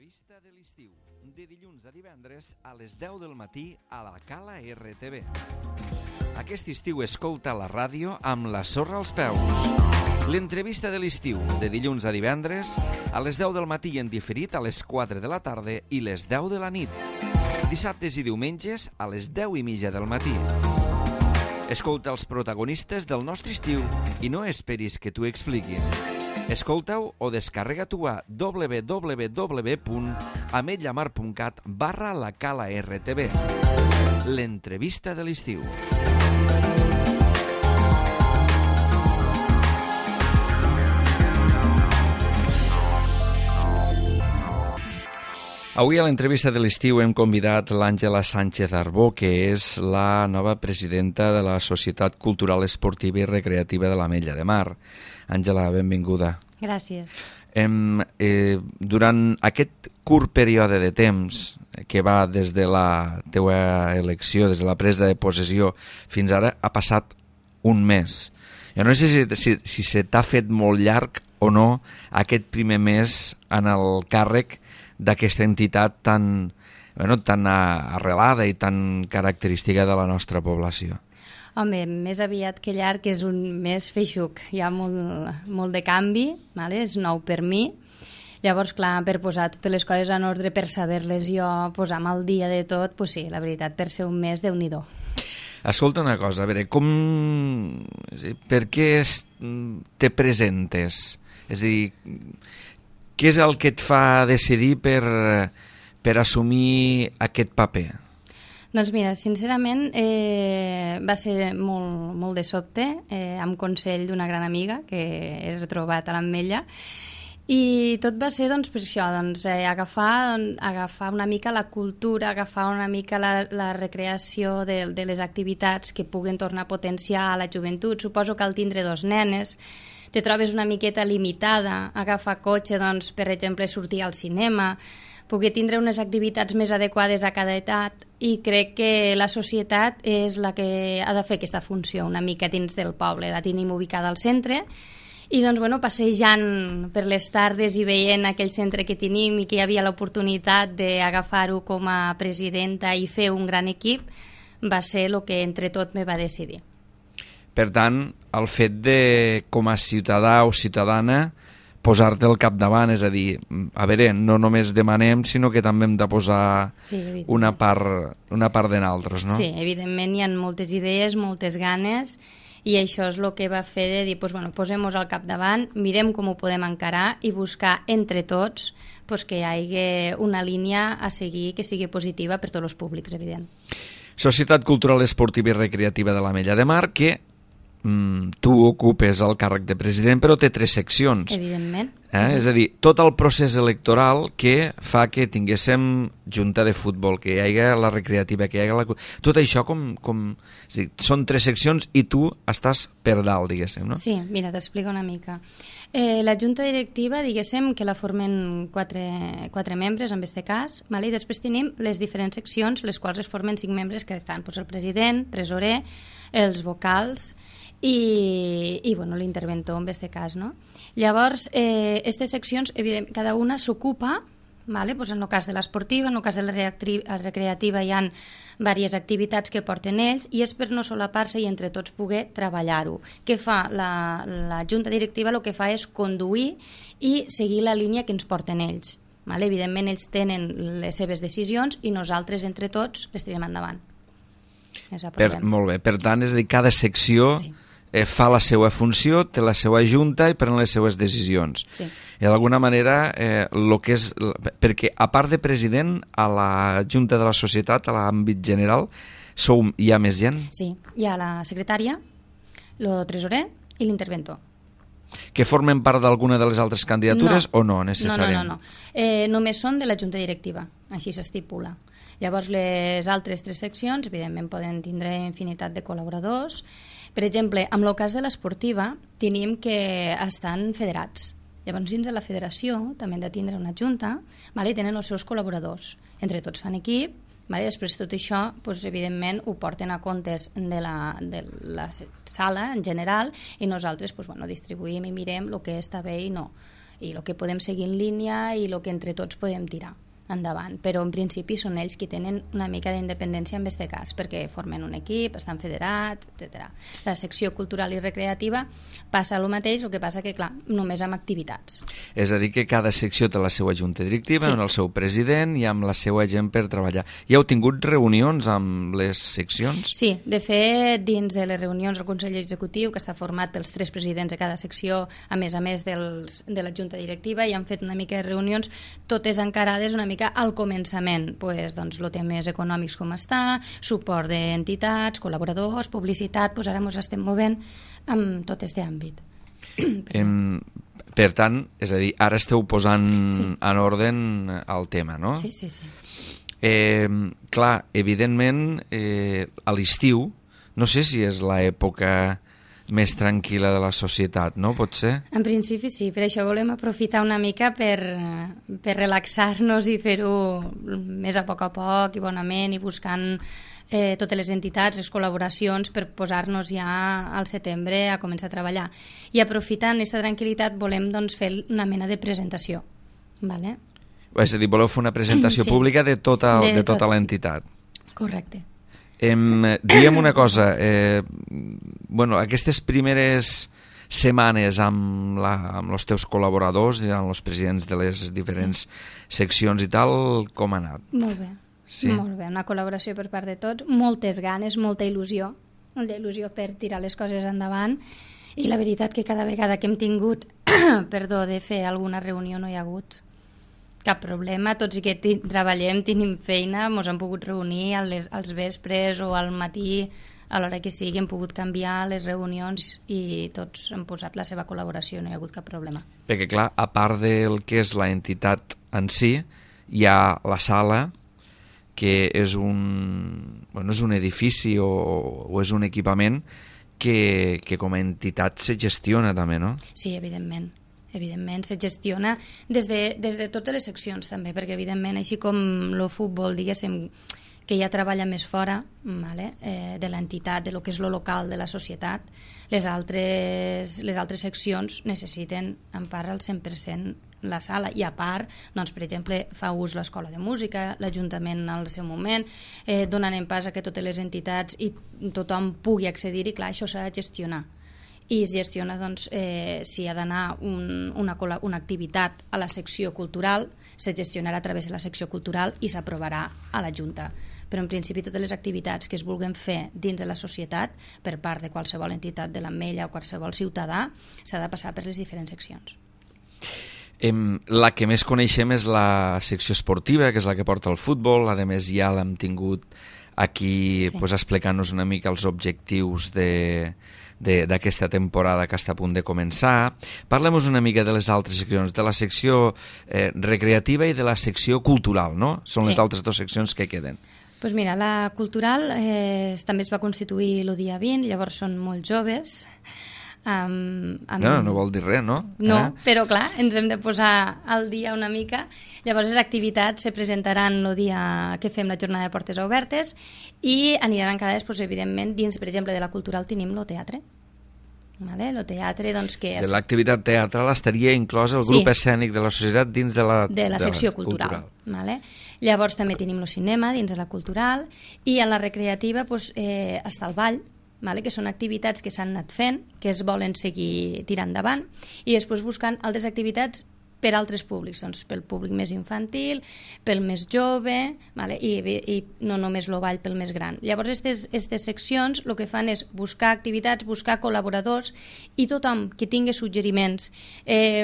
L'entrevista de l'estiu, de dilluns a divendres a les 10 del matí a la Cala RTV. Aquest estiu escolta la ràdio amb la sorra als peus. L'entrevista de l'estiu, de dilluns a divendres a les 10 del matí en diferit a les 4 de la tarda i les 10 de la nit. Dissabtes i diumenges a les 10:30 del matí. Escolta els protagonistes del nostre estiu i no esperis que t'ho expliquin. Escolta-ho o descarrega-t'ho a www.ametlllamar.cat/la Cala RTV. L'entrevista de l'estiu. Avui a l'entrevista de l'estiu hem convidat l'Àngela Sánchez Arbó, que és la nova presidenta de la Societat Cultural Esportiva i Recreativa de l'Ametlla de Mar. Àngela, benvinguda. Gràcies. Durant aquest curt període de temps que va des de la teua elecció, des de la presa de possessió fins ara, ha passat un mes. Jo no sé si se t'ha fet molt llarg o no aquest primer mes en el càrrec d'aquesta entitat tan arrelada i tan característica de la nostra població. Home, més aviat que llarg és un mes feixuc. Hi ha molt de canvi, vale? És nou per mi. Llavors, clar, per posar totes les coses en ordre, per saber-les jo, posar-me al dia de tot, doncs sí, la veritat, per ser un mes, Déu-n'hi-do. Escolta una cosa, a veure, per què te presentes? És a dir, què és el que et fa decidir per assumir aquest paper? Doncs mira, sincerament va ser molt de sobte, amb consell d'una gran amiga que he retrobat a l'Ametlla, i tot va ser per això, agafar una mica la cultura, agafar una mica la recreació de les activitats que puguen tornar a potenciar la joventut. Suposo que al tindre dos nenes te trobes una miqueta limitada, agafar cotxe, per exemple, sortir al cinema, poder tindre unes activitats més adequades a cada edat, i crec que la societat és la que ha de fer aquesta funció una mica dins del poble. La tenim ubicada al centre i passejant per les tardes i veient aquell centre que tenim i que hi havia l'oportunitat d'agafar-ho com a presidenta i fer un gran equip, va ser el que entre tot me va decidir. Per tant, el fet de, com a ciutadà o ciutadana, posar-te al capdavant, és a dir, a veure, no només demanem, sinó que també hem de posar una part de nosaltres, no? Sí, evidentment hi ha moltes idees, moltes ganes, i això és el que va fer de dir, posem-nos al capdavant, mirem com ho podem encarar i buscar entre tots que hi hagi una línia a seguir que sigui positiva per tots els públics, evident. Societat Cultural Esportiva i Recreativa de l'Ametlla de Mar, que tu ocupes el càrrec de president, però té 3 seccions. Evidentment. És a dir, tot el procés electoral que fa que tinguéssim junta de futbol, que hi hagi la recreativa, que hi hagi tot això són 3 seccions i tu estàs per dalt, diguéssim, no? Sí, mira, t'explico una mica. La junta directiva, diguéssim, que la formen 4 membres, en aquest cas, i després tenim les diferents seccions, les quals es formen 5 membres, que estan el president, tresorer, els vocals i l'interventor, en aquest cas, no? Llavors, aquestes seccions, evidentment, cada una s'ocupa, en el cas de l'esportiva, en el cas de la recreativa hi ha diverses activitats que porten ells, i és per no solapar-se i entre tots poder treballar-ho. Què fa? La junta directiva el que fa és conduir i seguir la línia que ens porten ells. Evidentment, ells tenen les seves decisions i nosaltres, entre tots, les tirem endavant. Molt bé, per tant, és a dir, cada secció fa la seva funció, té la seva junta i pren les seves decisions. Sí. I d'alguna manera, perquè a part de president, a la junta de la societat, a l'àmbit general, hi ha més gent? Sí, hi ha la secretària, el tresorer i l'interventor. Que formen part d'alguna de les altres candidatures o no, necessàriament? No. Només són de la junta directiva, així s'estipula. Llavors, les altres 3 seccions, evidentment, poden tindre infinitat de col·laboradors. Per exemple, amb el cas de l'esportiva, tenim que estan federats. Llavors, dins de la federació, també han de tindre una junta, i tenen els seus col·laboradors. Entre tots fan equip, després tot això, evidentment, ho porten a comptes de la sala en general, i nosaltres distribuïm i mirem el que està bé i no. i el que podem seguir en línia i el que entre tots podem tirar endavant, però en principi són ells qui tenen una mica d'independència en aquest cas, perquè formen un equip, estan federats, etc. La secció cultural i recreativa passa el mateix, el que passa que, clar, només amb activitats. És a dir, que cada secció té la seva junta directiva, amb el seu president i amb la seva gent per treballar. I heu tingut reunions amb les seccions? Sí, de fet, dins de les reunions del Consell Executiu, que està format pels 3 presidents de cada secció, a més de la junta directiva, i han fet una mica de reunions, totes encarades una mica al començament, doncs, els temes econòmics com està, suport d'entitats, col·laboradors, publicitat, ara ens estem movent amb tot aquest àmbit. Per tant, és a dir, ara esteu posant en ordre el tema, no? Sí. Clar, evidentment, a l'estiu, no sé si és l'època més tranquil·la de la societat, no? Pot ser? En principi sí, per això volem aprofitar una mica per relaxar-nos i fer-ho més a poc i bonament, i buscant totes les entitats, les col·laboracions, per posar-nos ja al setembre a començar a treballar. I aprofitant aquesta tranquil·litat volem fer una mena de presentació. Vale? És a dir, voleu fer una presentació pública de tota l'entitat. Correcte. Digue'm una cosa, aquestes primeres setmanes amb els teus col·laboradors i amb els presidents de les diferents seccions i tal, com ha anat? Molt bé, molt bé, una col·laboració per part de tots, moltes ganes, molta il·lusió per tirar les coses endavant, i la veritat que cada vegada que hem tingut de fer alguna reunió no hi ha hagut cap problema, tots i que treballem, tenim feina, ens hem pogut reunir als vespres o al matí, a l'hora que sigui, hem pogut canviar les reunions i tots han posat la seva col·laboració, no hi ha hagut cap problema. Perquè, clar, a part del que és la entitat en si, hi ha la sala, que és un edifici o és un equipament que com a entitat se gestiona també, no? Sí, evidentment, se gestiona des de totes les seccions també, perquè evidentment, així com el futbol, diguéssim, que ja treballa més fora de l'entitat, de lo que és lo local de la societat, les altres seccions necessiten en part al 100% la sala, i a part, doncs, per exemple, fa ús l'escola de música, l'Ajuntament al seu moment, donant en pas a que totes les entitats i tothom pugui accedir, i clar, això s'ha de gestionar. I es gestiona, doncs, si ha d'anar una activitat a la secció cultural, se gestionarà a través de la secció cultural i s'aprovarà a la Junta. Però en principi totes les activitats que es vulguin fer dins de la societat per part de qualsevol entitat de l'Ametlla o qualsevol ciutadà s'ha de passar per les diferents seccions. La que més coneixem és la secció esportiva, que és la que porta el futbol, a més ja l'hem tingut aquí explicant-nos una mica els objectius d'aquesta temporada que està a punt de començar. Parlem-nos una mica de les altres seccions, de la secció recreativa i de la secció cultural, no? Són les altres dues seccions que queden. Doncs mira, la cultural també es va constituir el dia 20, llavors són molt joves. No vol dir res, no? No, però clar, ens hem de posar al dia una mica. Llavors les activitats se presentaran el dia que fem la jornada de portes obertes i aniran encadades, evidentment, dins, per exemple, de la cultural tenim el teatre. El teatre, doncs, que és... L'activitat teatral estaria inclosa el grup escènic de la societat dins de la secció cultural. Llavors també tenim el cinema dins de la cultural, i a la recreativa està el ball, que són activitats que s'han anat fent, que es volen seguir tirant endavant, i després buscant altres activitats per altres públics, doncs pel públic més infantil, pel més jove, i no només el ball pel més gran. Llavors, aquestes seccions el que fan és buscar activitats, buscar col·laboradors, i tothom que tingui suggeriments,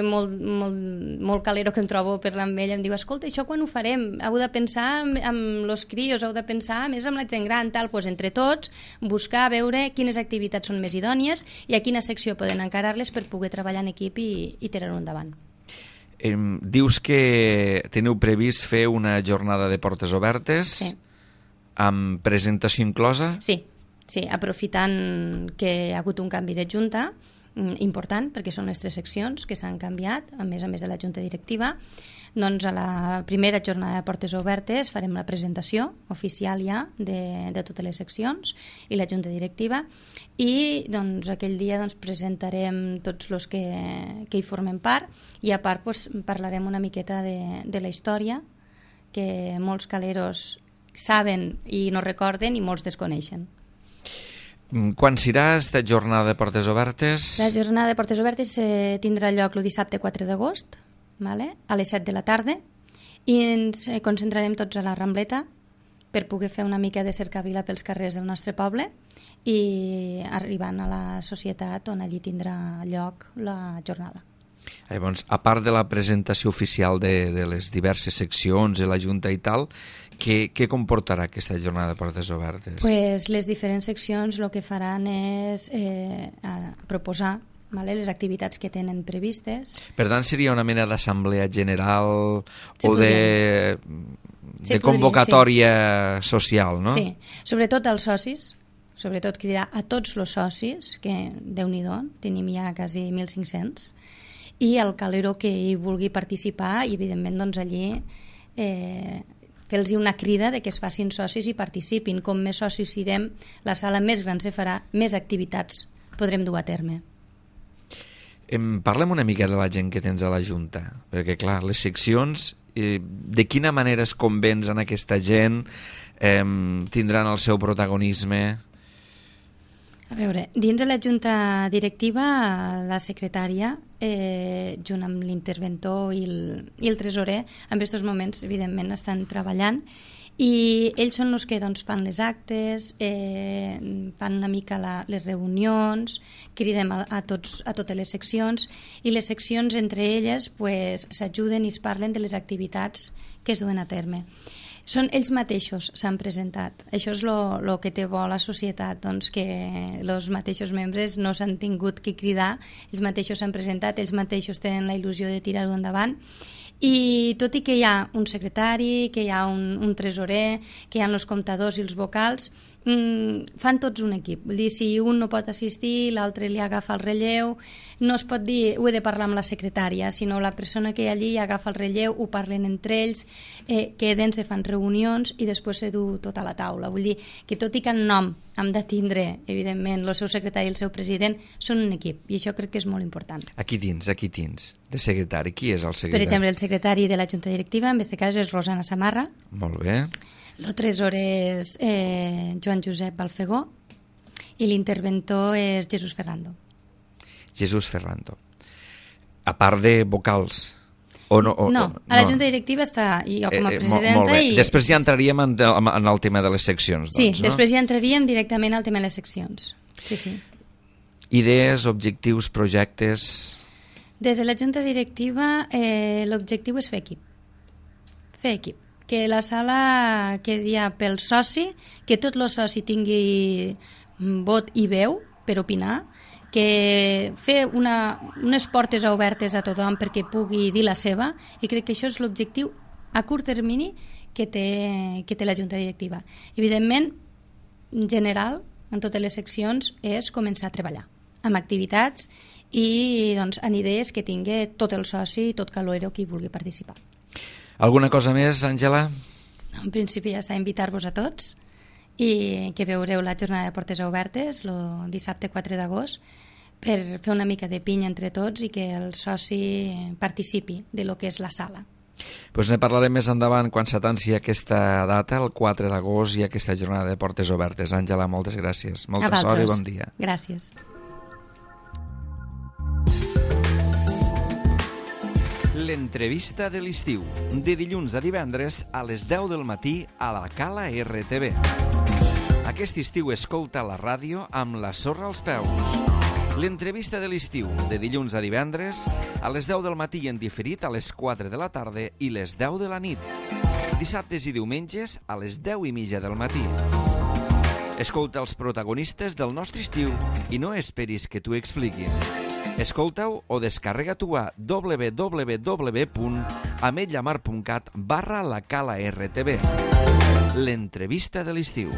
molt calero que em trobo per l'Ametlla, em diu, escolta, això quan ho farem? Heu de pensar amb els crios, heu de pensar més amb la gent gran, tal. Doncs entre tots, buscar, veure quines activitats són més idònies i a quina secció poden encarar-les per poder treballar en equip i tirar-ho endavant. Dius que teniu previst fer una jornada de portes obertes amb presentació inclosa? Sí, aprofitant que hi ha hagut un canvi de junta, important, perquè són les 3 seccions que s'han canviat, a més de la Junta Directiva. Doncs a la primera jornada de portes obertes farem la presentació oficial ja de totes les seccions i la Junta Directiva, i doncs aquell dia presentarem tots els que hi formen part, i a part parlarem una miqueta de la història, que molts caleros saben i no recorden i molts desconeixen. Quan serà aquesta jornada de portes obertes? La jornada de portes obertes tindrà lloc el dissabte 4 d'agost, a les 7 de la tarda, i ens concentrarem tots a la Rambleta per poder fer una mica de cercavila pels carrers del nostre poble i arribant a la societat on allí tindrà lloc la jornada. Llavors, a part de la presentació oficial de les diverses seccions de la Junta i tal, què comportarà aquesta jornada de portes obertes? Pues les diferents seccions el que faran és proposar les activitats que tenen previstes. Per tant, seria una mena d'assemblea general o de convocatòria social, no? Sí, sobretot als socis, sobretot cridar a tots els socis, que Déu-n'hi-do, tenim ja quasi 1.500, i el calero que hi vulgui participar, i evidentment allí fer-los una crida de que es facin socis i participin. Com més socis siguem, la sala més gran se farà, més activitats podrem dur a terme. Parlem una mica de la gent que tens a la Junta, perquè clar, les seccions, de quina manera es convencen aquesta gent, tindran el seu protagonisme? A veure, dins de la Junta Directiva, la secretària, junt amb l'interventor i el tresorer, en aquests moments, evidentment, estan treballant, i ells són els que fan les actes, fan una mica les reunions, cridem a totes les seccions, i les seccions entre elles s'ajuden i es parlen de les activitats que es duen a terme. Són ells mateixos s'han presentat. Això és el que té bo la societat, que els mateixos membres no s'han tingut que cridar, ells mateixos s'han presentat, ells mateixos tenen la il·lusió de tirar-ho endavant. I tot i que hi ha un secretari, que hi ha un tresorer, que hi ha els comptadors i els vocals, fan tots un equip. Vull dir, si un no pot assistir, l'altre li agafa el relleu. No es pot dir, ho he de parlar amb la secretària, sinó la persona que hi ha allí agafa el relleu, ho parlen entre ells, queden, se fan reunions i després se du tot a la taula. Vull dir que tot i que en nom hem de tindre, evidentment, el seu secretari i el seu president, són un equip, i això crec que és molt important. Aquí dins, de secretari. Qui és el secretari? Per exemple, el secretari de la Junta Directiva, en aquest cas, és Rosana Samarra. Molt bé. El tresorer és Joan Josep Balfegó i l'interventor és Jesús Ferrando. Jesús Ferrando. A part de vocals? A la Junta Directiva està jo com a presidenta. Molt bé. Després ja entraríem en el tema de les seccions. Sí, després ja entraríem directament al tema de les seccions. Sí. Idees, objectius, projectes... Des de la Junta Directiva l'objectiu és fer equip. Fer equip. Que la sala quedi pel soci, que tot el soci tingui vot i veu per opinar, que fer unes portes obertes a tothom perquè pugui dir la seva, i crec que això és l'objectiu a curt termini que té la Junta Directiva. Evidentment, en general, en totes les seccions, és començar a treballar amb activitats i en idees que tingui tot el soci i tot calorero que hi vulgui participar. Alguna cosa més, Àngela? En principi ja està, invitar-vos a tots i que veureu la jornada de portes obertes el dissabte 4 d'agost per fer una mica de pinya entre tots i que el soci participi de lo que és la sala. Doncs ne parlarem més endavant quan s'atanci aquesta data, el 4 d'agost, i aquesta jornada de portes obertes. Àngela, moltes gràcies. Molta sort i bon dia. Gràcies. L'entrevista de l'estiu, de dilluns a divendres a les 10 del matí a la Cala RTV. Aquest estiu escolta la ràdio amb la sorra als peus. L'entrevista de l'estiu, de dilluns a divendres a les 10 del matí i en diferit a les 4 de la tarda i les 10 de la nit. Dissabtes i diumenges a les 10:30 del matí. Escolta els protagonistes del nostre estiu i no esperis que t'ho expliquin. Escolta-ho o descarrega-t'ho a www.ametlllamar.cat/la Cala RTV. L'entrevista de l'estiu.